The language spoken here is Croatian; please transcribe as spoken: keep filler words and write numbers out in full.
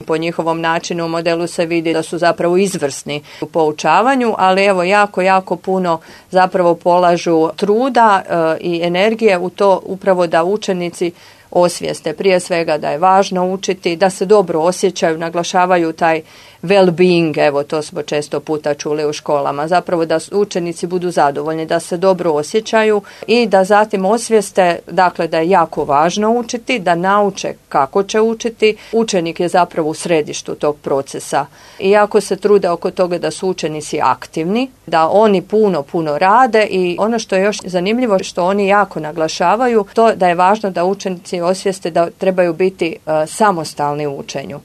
po njihovom načinu u modelu se vidi da su zapravo izvrsni u poučavanju, ali evo jako, jako puno zapravo polažu truda e, i energije u to upravo da učenici osvijeste prije svega da je važno učiti, da se dobro osjećaju, naglašavaju taj well-being, evo to smo često puta čuli u školama, zapravo da učenici budu zadovoljni, da se dobro osjećaju i da zatim osvijeste, dakle da je jako važno učiti, da nauče kako će učiti. Učenik je zapravo u središtu tog procesa i jako se trude oko toga da su učenici aktivni, da oni puno, puno rade i ono što je još zanimljivo što oni jako naglašavaju, to da je važno da učenici osvijeste da trebaju biti uh, samostalni u učenju.